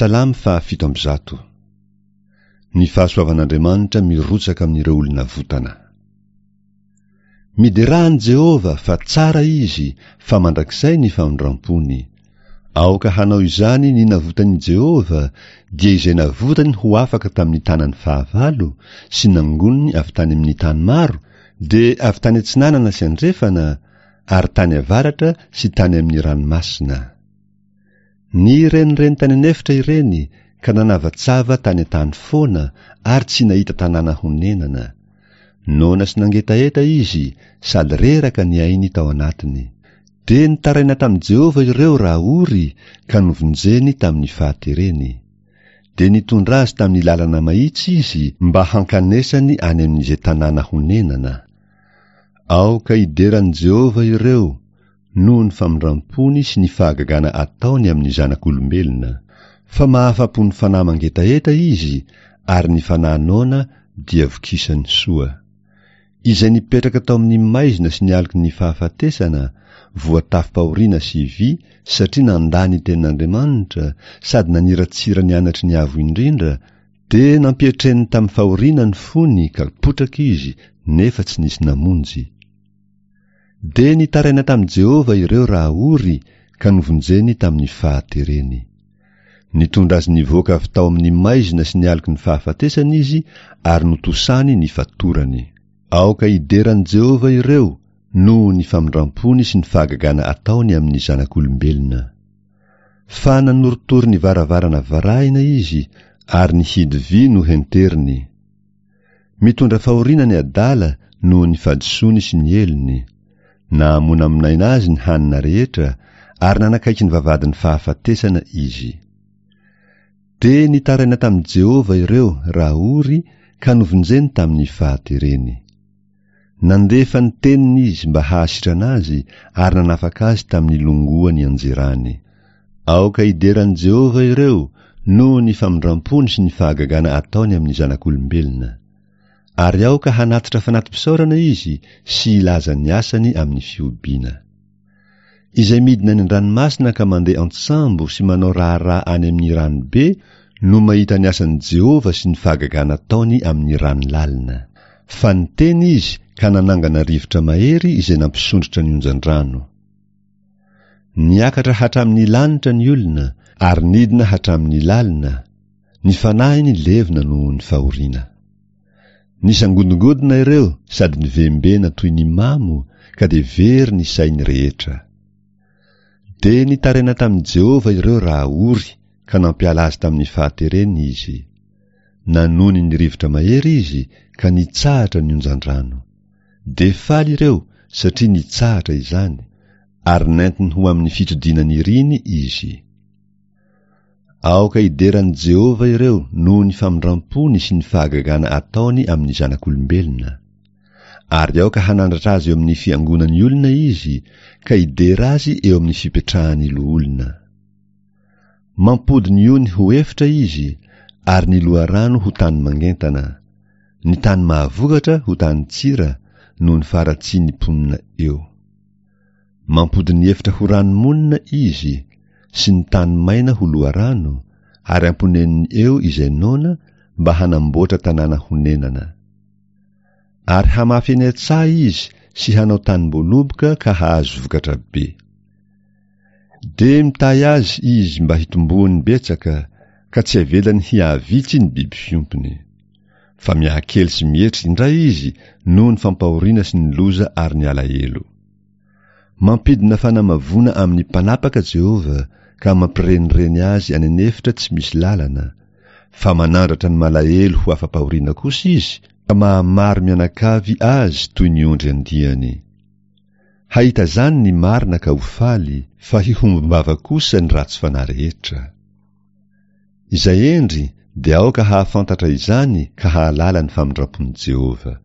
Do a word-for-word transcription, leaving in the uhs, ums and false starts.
Salamo fahafito amby zato. Ny fahasoavan'Andriamanitra mirotsaka amin'ireo olona votana. Miderà an'i Jehovah fa tsara Izy, fa mandrakizay ny famindram-pony. Aoka hanao izany ny navotan'i Jehovah, dia izay navotany ho afaka tamin'ny tanan'ny fahavalo sy nangoniny avy tany amin'ny tany maro, dia avy tany atsinanana sy andrefana, ary tany avaratra sy tany amin'ny ranomasina. Nirenireny tany an'efitra ireny ka nanavatsava tany an-tany foana ary tsy nahita tanàna honenana. Noana sy nangetaheta izy sady reraka ny ainy tao anatiny. Dia nitaraina tamin'i Jehovah ireo raha ory ka novonjeny tamin'ny fahatereny. Dia nitondra azy tamin'ny lalana mahitsy izy mba hankanesany any amin'izay tanàna honenana. Aoka hidera an'i Jehovah ireo noho ny famindram-pony sy ny fahagagana ataony amin'ny zanak'olombelona. Fa mahafa-po ny fanahy mangetaheta izy ary ny fanahy noana dia vokisany soa. Izay nipetraka tao amin'ny maizina sy ny aloky ny fahafatesana, voatafim-pahoriana sy vy satria nandà ny tenin'Andriamanitra sady naniratsira ny anatry ny Avo Indrindra, dia nampietreny tamin'ny fahoriana ny fony ka potraka izy nefa tsy nisy namonjy. Dia nitaraina tamin'i Jehovah ireo raha ory ka novonjeny tamin'ny fahatereny. Nitondra azy nivoaka avy tao amin'ny maizina sy ny aloky ny fahafatesana izy ary notosany ny fatorany. Aoka hidera an'i Jehovah ireo noho ny famindram-pony sy ny fahagagana ataony amin'ny zanak'olombelona. Fa nanorotoro ny varavarana varahina izy ary ny hidy vy nohenteriny. Mitondra fahoriana ny adala noho ny fahadisoany sy ny helony. Nahamonamonaina azy ny hanina rehetra ary nanakaiky ny vavahadin'ny fahafatesana izy. Dia nitaraina tamin'i Jehovah ireo raha ory ka novonjeny tamin'ny fahatereny. Nandefa ny teniny izy mba hahasitrana azy ary nanafaka azy tamin'ny longoa nianjerany. Aoka hidera an'i Jehovah ireo noho ny famindram-pony sy ny fahagagana ataony amin'ny zanak'olombelona. Ary aoka hanatitra fanati-pisaorana izy sy hilaza ny asany amin'ny fihobiana. Izay midina any an-dranomasina ka mandeha an-tsambo sy manao raharaha any amin'ny ranobe no mahita ny asan'i Jehovah sy ny fahagagana ataony amin'ny rano lalina. Fa niteny izy ka nanangana rivotra mahery izay nampisondrotra ny onjan-drano. Niakatra hatramin'ny lanitra ny olona ary nidina hatramin'ny lalina, ny fanahiny levona noho ny fahoriana. Nisangodingodina ireo sady nivembena toy ny mamo ka dia very ny sainy rehetra. Dia nitaraina tamin'i Jehovah ireo raha ory ka nampiala azy tamin'ny fahatereny izy. Nanony ny rivotra mahery izy ka nitsahatra ny onjan-drano. Dia faly ireo satria nitsahatra izany, ary nentiny ho amin'ny fitodiana niriny izy. Aoka hidera an'i Jehovah ireo noho ny famindram-pony sy ny fahagagana ataony amin'ny zanak'olombelona. Ary aoka hanandratra azy eo amin'ny fiangonan'ny olona izy ka hidera azy eo amin'ny fipetrahan'ny loholona. Mampody ny ony ho efitra izy ary ny loharano ho tany mangentana, ny tany mahavokatra ho tany tsira noho ny faharatsian'ny mponina eo. Mampody ny efitra ho rano monina izy sy ny tany maina ho loharano ary amponeniny eo izay noana mba hanamboatra tanàna honenana. Ary hamafy eny an-tsaha izy sy hanao tanim-boaloboka ka hahazo vokatra be. Dia mitahy azy izy mba hitomboany betsaka ka tsy avelany hihavitsy ny biby fiompiny. Fa mihakely sy mietry indray izy noho ny fampahoriana sy ny loza ary ny alahelo. Mampidina fanamavoana amin'ny mpanapaka Jehovah ka mampirenireny azy any an'efitra tsy misy lalana, fa manandratra ny malahelo ho afa-pahoriana kosa izy ka mahamaro mianakavy azy toy ny ondry andiany. Hahita izany ny marina ka ho faly, fa hihombom-bava kosa ny ratsy fanahy rehetra. Izay hendry dia aoka hahafantatra izany ka hahalala ny famindram-pon'i Jehovah.